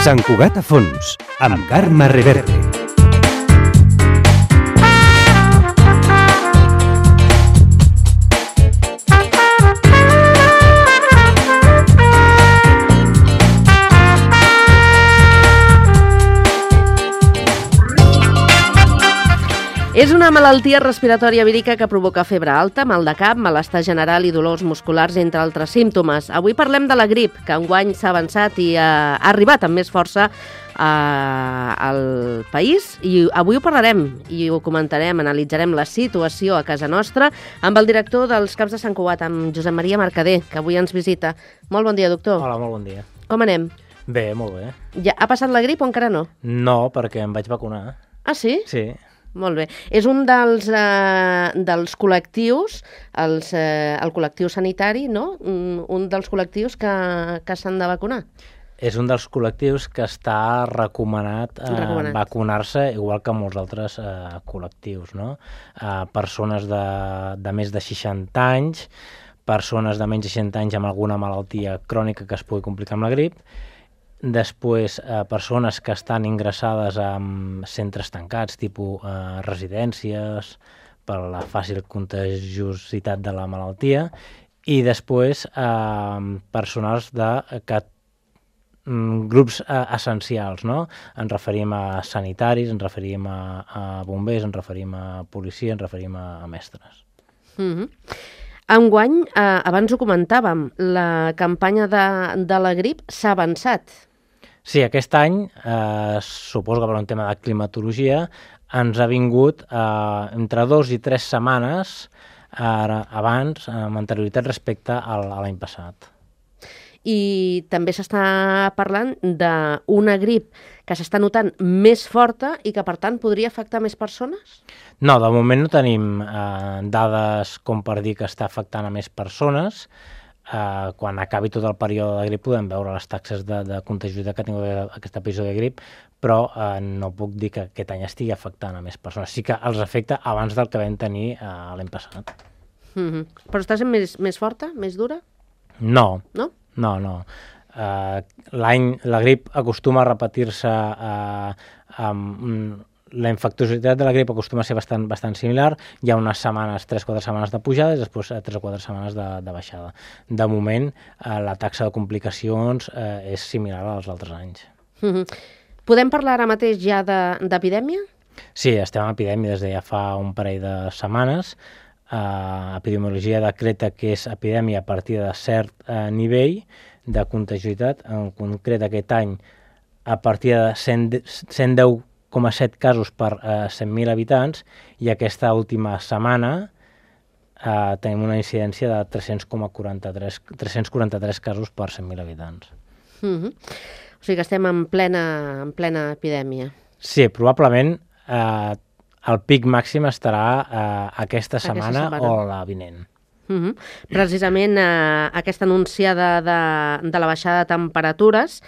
Sant Cugat a fons, amb Carme Reverte. És una malaltia respiratòria vírica que provoca febre alta, mal de cap, malestar general i dolors musculars, entre altres símptomes. Avui parlem de la grip, que enguany s'ha avançat i ha arribat amb més força al país. I avui ho parlarem i ho comentarem, analitzarem la situació a casa nostra amb el director dels CAPs de Sant Cugat, amb Josep Maria Mercader, que avui ens visita. Molt bon dia, doctor. Hola, molt bon dia. Com anem? Bé, molt bé. Ja ha passat la grip o encara no? No, perquè em vaig vacunar. Ah, sí? Sí. Molt bé. És un dels col·lectius, el col·lectiu sanitari, no? Un dels col·lectius que s'han de vacunar. És un dels col·lectius que està recomanat vacunar-se, igual que molts altres col·lectius, no? Persones de més de 60 anys, persones de menys de 60 anys amb alguna malaltia crònica que es pugui complicar amb la grip, després persones que estan ingressades en centres tancats, tipus residències, per la fàcil contagiositat de la malaltia, i després personals de grups essencials, no? Ens referim a sanitaris, ens referim a bombers, ens referim a policia, ens referim a mestres. Enguany, abans ho comentàvem, la campanya de la grip s'ha avançat. Sí, aquest any, suposo que per un tema de climatologia, ens ha vingut entre 2 i 3 setmanes abans, amb anterioritat respecte a l'any passat. I també s'està parlant d'una grip que s'està notant més forta i que, per tant, podria afectar més persones? No, de moment no tenim dades com per dir que està afectant a més persones. Quan acabi tot el període de grip podem veure les taxes de contagiositat que ha tingut aquest episodi de grip, però no puc dir que aquest any estigui afectant a més persones. Sí que els afecta abans del que vam tenir l'any passat. Però està sent més forta, més dura? No. No? No. La grip acostuma a repetir-se la infecciositat de la grip acostuma a ser bastant similar. Hi ha unes setmanes, 3-4 setmanes de pujada i després 3 o 4 setmanes de baixada. De moment, la taxa de complicacions és similar als altres anys. Podem parlar ara mateix ja d'epidèmia? Sí, estem en epidèmia des de ja fa un parell de setmanes. Epidemiologia decreta que és epidèmia a partir de cert nivell de contagiositat. En concret, aquest any, a partir de 110,7 casos per 100.000 habitants, i aquesta última setmana tenim una incidència de 343 casos per 100.000 habitants. O sigui que estem en plena epidèmia. Sí, probablement el pic màxim estarà aquesta setmana o la vinent. Precisament aquesta anunciada de la baixada de temperatures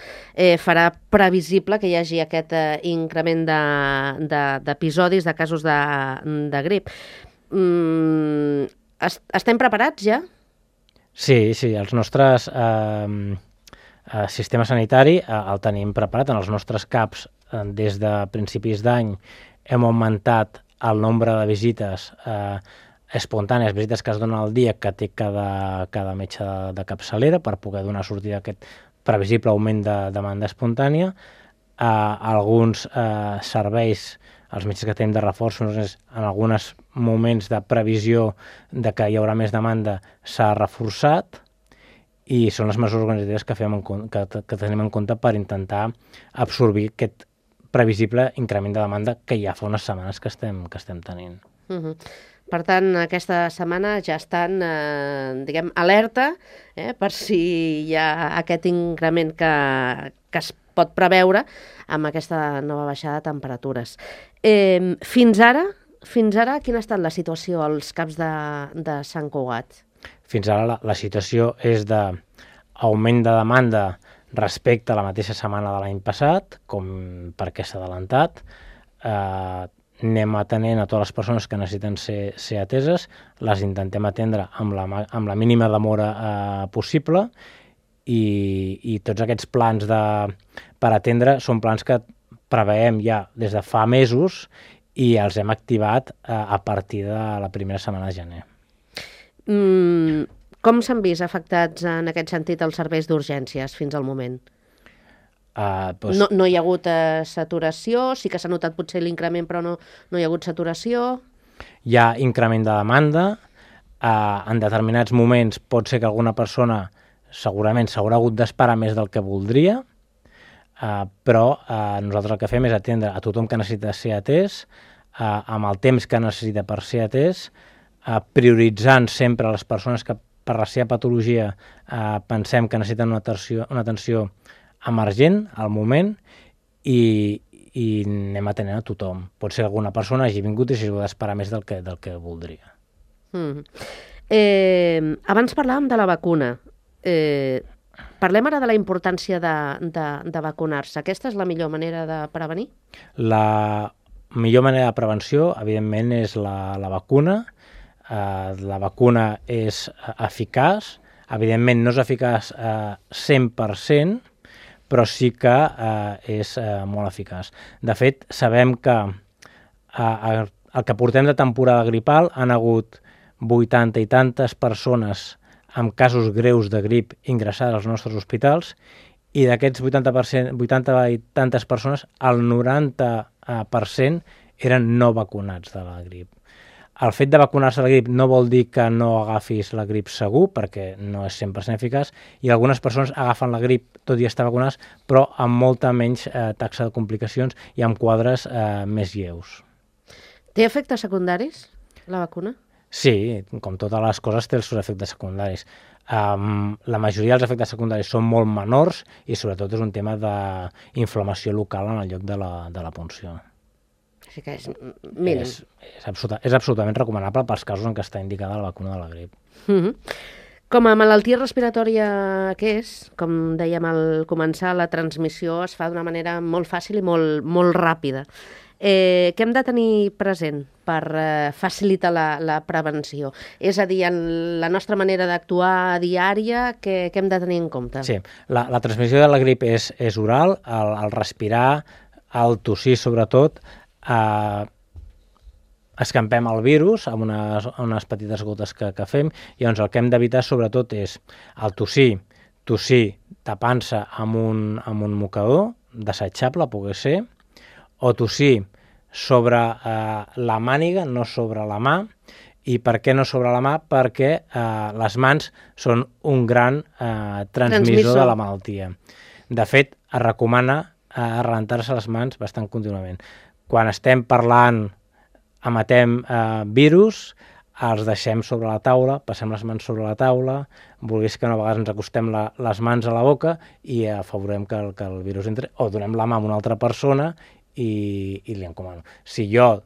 farà previsible que hi hagi aquest increment d'episodis, de casos de grip. Estem preparats ja? Sí, el nostre sistema sanitari el tenim preparat. En els nostres CAPs, des de principis d'any, hem augmentat el nombre de visites espontànies, visites que es donen al dia que té cada metge de capçalera per poder donar sortida a aquest previsible augment de demanda espontània. Alguns serveis, els metges que tenim de reforços, en alguns moments de previsió de que hi haurà més demanda, s'ha reforçat, i són les mesures organitzatives que tenim en compte per intentar absorbir aquest previsible increment de demanda que ja fa unes setmanes que estem tenint. Per tant, aquesta setmana ja estan, alerta per si hi ha aquest increment que es pot preveure amb aquesta nova baixada de temperatures. Fins ara, quina ha estat la situació als CAPs de Sant Cugat? Fins ara la situació és d'augment de demanda respecte a la mateixa setmana de l'any passat, com perquè s'ha adelantat. Anem atenent a totes les persones que necessiten ser ateses, les intentem atendre amb la mínima demora possible, i tots aquests plans per atendre són plans que preveiem ja des de fa mesos i els hem activat a partir de la primera setmana de gener. Com s'han vist afectats en aquest sentit els serveis d'urgències fins al moment? No hi ha hagut saturació, sí que s'ha notat potser l'increment, però no hi ha hagut saturació. Hi ha increment de demanda, en determinats moments pot ser que alguna persona segurament s'haurà hagut d'esperar més del que voldria, però nosaltres el que fem és atendre a tothom que necessita ser atès, amb el temps que necessita per ser atès, prioritzant sempre les persones que per la seva patologia pensem que necessiten una atenció emergent al moment i anem atenent a tothom. Pot ser que alguna persona hagi vingut i s'hagi d'esperar més del que voldria. Abans parlàvem de la vacuna. Parlem ara de la importància de vacunar-se. Aquesta és la millor manera de prevenir? La millor manera de prevenció, evidentment, és la vacuna. La vacuna és eficaç. Evidentment, no és eficaç 100%, però sí que és molt eficaç. De fet, sabem que el que portem de temporada gripal han hagut 80 i tantes persones amb casos greus de grip ingressades als nostres hospitals i d'aquests 80 i tantes persones, el 90% eren no vacunats de la grip. El fet de vacunar-se de la grip no vol dir que no agafis la grip segur, perquè no és 100% eficaç, i algunes persones agafen la grip tot i estar vacunades, però amb molta menys taxa de complicacions i amb quadres més lleus. Té efectes secundaris, la vacuna? Sí, com totes les coses té els seus efectes secundaris. La majoria dels efectes secundaris són molt menors i sobretot és un tema d'inflamació local en el lloc de la punció. Sí que és mínim. És absolutament recomanable pels casos en què està indicada la vacuna de la grip. Com a malaltia respiratòria que és, com dèiem al començar, la transmissió es fa d'una manera molt fàcil i molt ràpida. Què hem de tenir present per facilitar la prevenció? És a dir, en la nostra manera d'actuar diària, què hem de tenir en compte? Sí, la transmissió de la grip és oral, el respirar, el tossir sobretot, escampem el virus amb unes petites gotes que fem, i llavors el que hem d'evitar sobretot és el tossir tapant-se amb un mocador desitjable, pogués ser, o tossir sobre la màniga, no sobre la mà. I per què no sobre la mà? Perquè les mans són un gran transmissor de la malaltia. De fet, es recomana rentar-se les mans bastant contínuament. Quan estem parlant, emetem virus, els deixem sobre la taula, passem les mans sobre la taula, vulguis que no, a vegades ens acostem les mans a la boca i afavorem que el virus entri, o donem la mà a una altra persona i li encomano. Si jo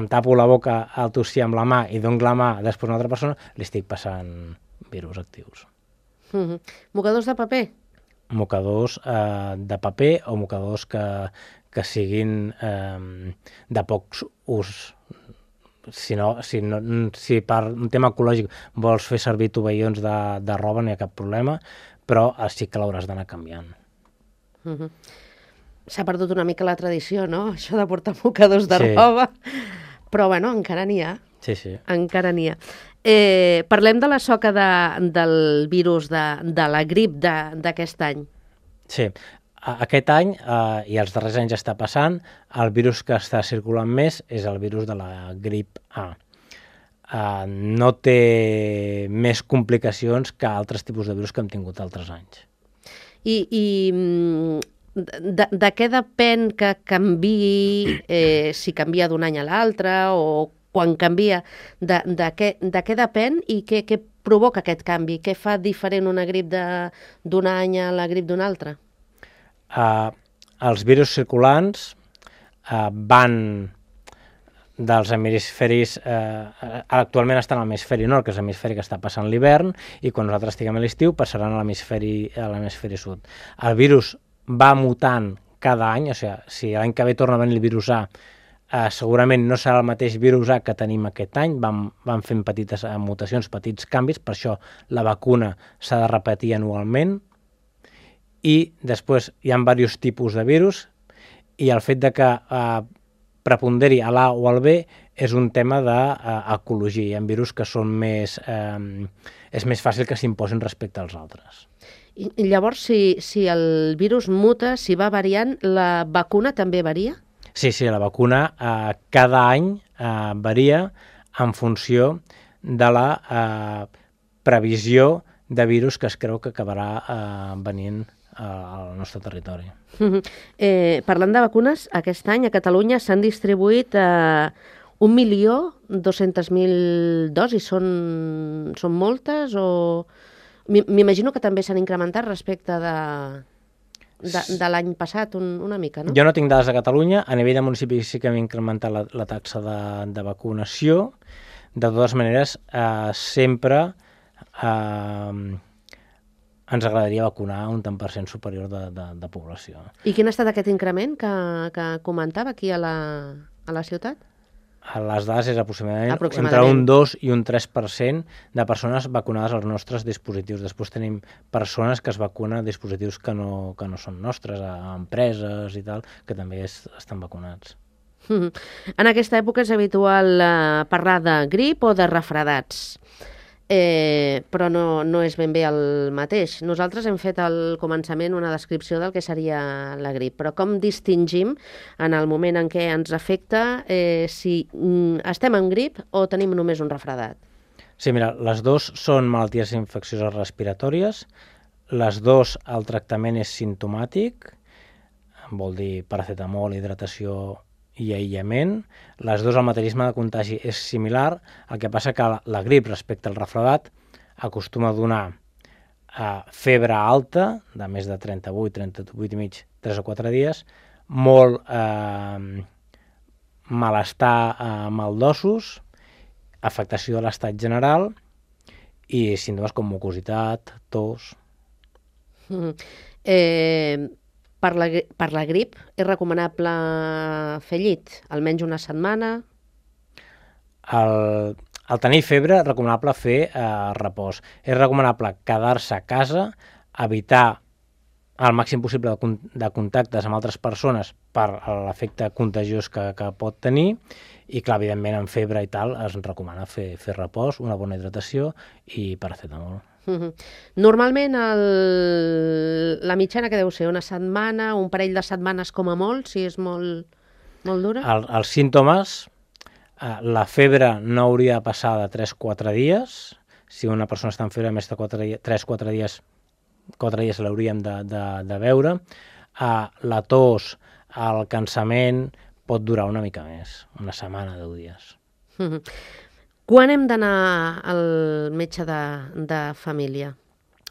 em tapo la boca al tossir amb la mà i dono la mà després a una altra persona, li estic passant virus actius. Mocadors de paper? Mocadors de paper o mocadors que siguin de poc ús. Si per un tema ecològic vols fer servir tovallons de roba, no hi ha cap problema, però sí que l'hauràs d'anar canviant. S'ha perdut una mica la tradició, no?, això de portar mocadors de roba, però bueno, encara n'hi ha. Sí. Encara n'hi ha. Parlem de la soca del virus de la grip d'aquest any. Sí. Aquest any, i els darrers anys està passant, el virus que està circulant més és el virus de la grip A. No té més complicacions que altres tipus de virus que hem tingut altres anys. I de què depèn que canviï, si canvia d'un any a l'altre o quan canvia, de què depèn i què provoca aquest canvi? Què fa diferent una grip d'un any a la grip d'un altre? Els virus circulants van dels hemisferis, actualment estan a l'hemisferi nord, que és l'hemisferi que està passant l'hivern, i quan nosaltres estiguem a l'estiu passaran a l'hemisferi sud. El virus va mutant cada any, o sigui, si l'any que ve torna a venir el virus A, segurament no serà el mateix virus A que tenim aquest any, van fent petites mutacions, petits canvis, per això la vacuna s'ha de repetir anualment, i després hi ha diversos tipus de virus, i el fet de que preponderi a l'A o al B és un tema d'ecologia. Hi ha virus que són més... és més fàcil que s'imposin respecte als altres. I llavors, si el virus muta, si va variant, la vacuna també varia? Sí, la vacuna cada any varia en funció de la previsió de virus que es creu que acabarà venint al nostre territori. Parlant de vacunes, aquest any a Catalunya s'han distribuït 1.200.000 dosis. Són moltes o... M'imagino que també s'han incrementat respecte de l'any passat una mica, no? Jo no tinc dades de Catalunya. A nivell de municipis sí que hem incrementat la taxa de vacunació. De totes maneres, sempre ens agradaria vacunar un tant per cent superior de població. I quin ha estat aquest increment que comentava aquí a la ciutat? Les dades és aproximadament entre un 2 i un 3% de persones vacunades als nostres dispositius. Després tenim persones que es vacunen a dispositius que no són nostres, a empreses i tal, que també estan vacunats. En aquesta època és habitual parlar de grip o de refredats, però no és ben bé el mateix. Nosaltres hem fet al començament una descripció del que seria la grip, però com distingim en el moment en què ens afecta si estem en grip o tenim només un refredat? Sí, mira, les dues són malalties infeccioses respiratòries, les dues el tractament és simptomàtic, vol dir paracetamol, hidratació i aïllament. Les dues, el mecanisme de contagi és similar, el que passa que la grip respecte al refredat acostuma a donar febre alta, de més de 38, 38 i mig, 3 o 4 dies, molt malestar maldosos, afectació de l'estat general i símptomes com mucositat, tos. Per la grip és recomanable fer llit, almenys una setmana? Al tenir febre és recomanable fer repòs. És recomanable quedar-se a casa, evitar el màxim possible de contactes amb altres persones per l'efecte contagiós que pot tenir, i clar, evidentment en febre i tal es recomana fer repòs, una bona hidratació i paracetamol. Normalment la mitjana que deu ser una setmana, un parell de setmanes com a molt, si és molt dura? Els símptomes, la febre no hauria de passar de 3-4 dies. Si una persona està en febre més de 3-4 dies, 4 dies l'hauríem de veure. La tos, el cansament pot durar una mica més, una setmana, 10 dies. Quan hem d'anar al metge de família?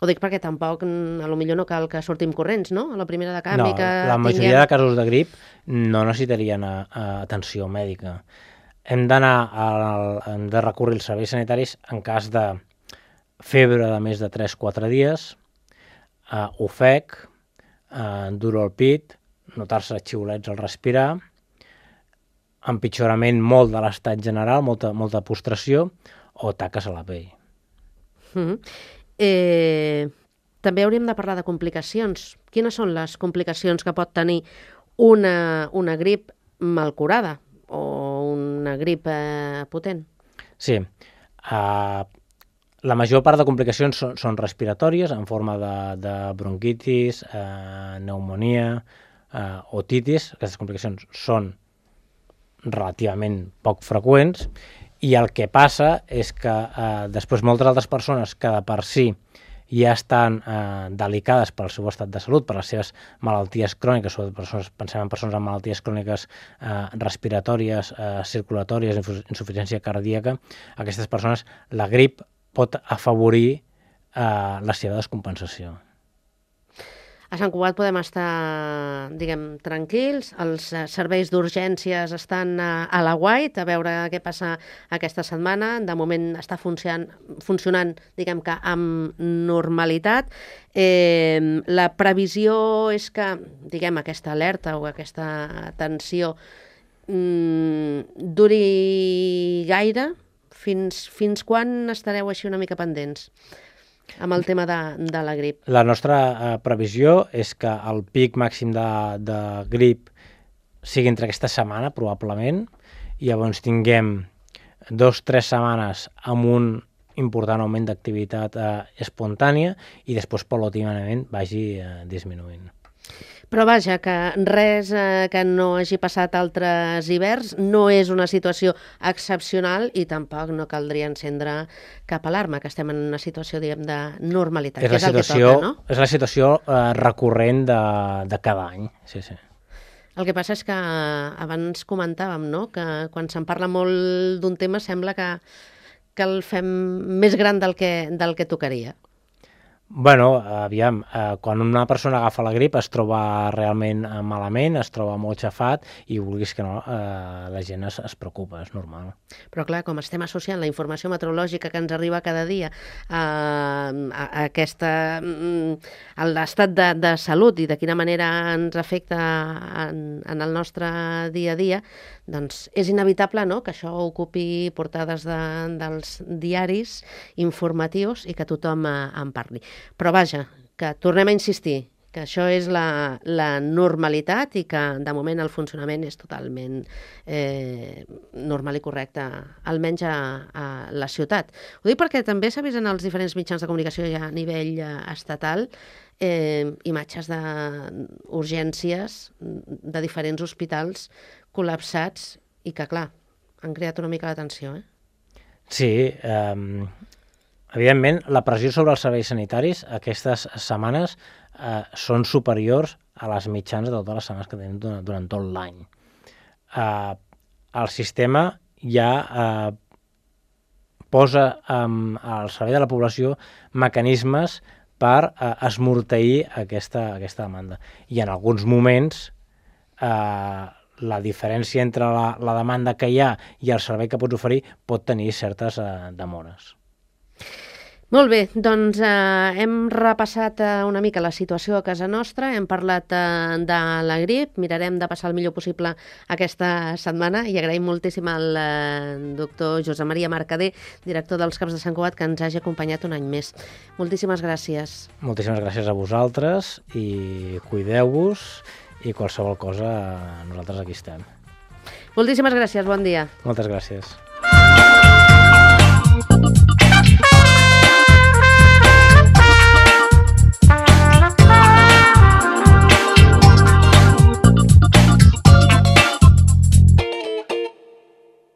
Ho dic perquè tampoc, potser no cal que sortim corrents, no? A la primera de canvi que la majoria de casos de grip no necessitarien atenció mèdica. Hem de recórrer als serveis sanitaris en cas de febre de més de 3-4 dies, ofec, dolor al pit, notar-se xiulets al respirar, empitjorament molt de l'estat general, molta postració o taques a la pell. També hauríem de parlar de complicacions. Quines són les complicacions que pot tenir una grip mal curada o una grip potent? Sí. La major part de complicacions són respiratòries, en forma de bronquitis, pneumonia, otitis. Aquestes complicacions són relativament poc freqüents, i el que passa és que després moltes altres persones que de per si ja estan delicades pel seu estat de salut, per les seves malalties cròniques, pensem en persones amb malalties cròniques respiratòries, circulatòries, insuficiència cardíaca, aquestes persones la grip pot afavorir la seva descompensació. A Sant Cugat podem estar, tranquils, els serveis d'urgències estan a l'aguait, a veure què passa aquesta setmana. De moment està funcionant, que amb normalitat. La previsió és que, aquesta alerta o aquesta tensió duri gaire? Fins quan estareu així una mica pendents amb el tema de la grip? La nostra previsió és que el pic màxim de grip sigui entre aquesta setmana, probablement, i llavors tinguem 2-3 setmanes amb un important augment d'activitat espontània i després, paulatinament, vagi disminuint. Però vaja, que res que no hagi passat altres hiverns, no és una situació excepcional i tampoc no caldria encendre cap alarma, que estem en una situació, diguem, de normalitat, que és el que toca, no? És la situació recurrent de cada any, sí. El que passa és que abans comentàvem, no?, que quan se'n parla molt d'un tema sembla que el fem més gran del que tocaria. Bueno, aviam, quan una persona agafa la grip es troba realment malament, es troba molt xafat i vulguis que no, la gent es preocupa, és normal. Però clar, com estem associant la informació meteorològica que ens arriba cada dia a l'estat de salut i de quina manera ens afecta en el nostre dia a dia, doncs és inevitable, no?, que això ocupi portades dels diaris informatius i que tothom en parli. Però vaja, que tornem a insistir que això és la normalitat i que de moment el funcionament és totalment normal i correcte, almenys a la ciutat. Ho dic perquè també s'ha vist en els diferents mitjans de comunicació ja a nivell estatal imatges d'urgències de diferents hospitals col·lapsats i que, clar, han creat una mica d'atenció, Sí, evidentment, la pressió sobre els serveis sanitaris aquestes setmanes són superiors a les mitjanes de totes les setmanes que tenim durant tot l'any. El sistema ja posa al servei de la població mecanismes per esmorteir aquesta demanda. I en alguns moments la diferència entre la demanda que hi ha i el servei que pots oferir pot tenir certes demores. Molt bé, doncs hem repassat una mica la situació a casa nostra, hem parlat de la grip, mirarem de passar el millor possible aquesta setmana i agraïm moltíssim al doctor Josep Maria Mercader, director dels CAPs de Sant Cugat, que ens hagi acompanyat un any més. Moltíssimes gràcies. Moltíssimes gràcies a vosaltres i cuideu-vos i qualsevol cosa nosaltres aquí estem. Moltíssimes gràcies, bon dia. Moltes gràcies.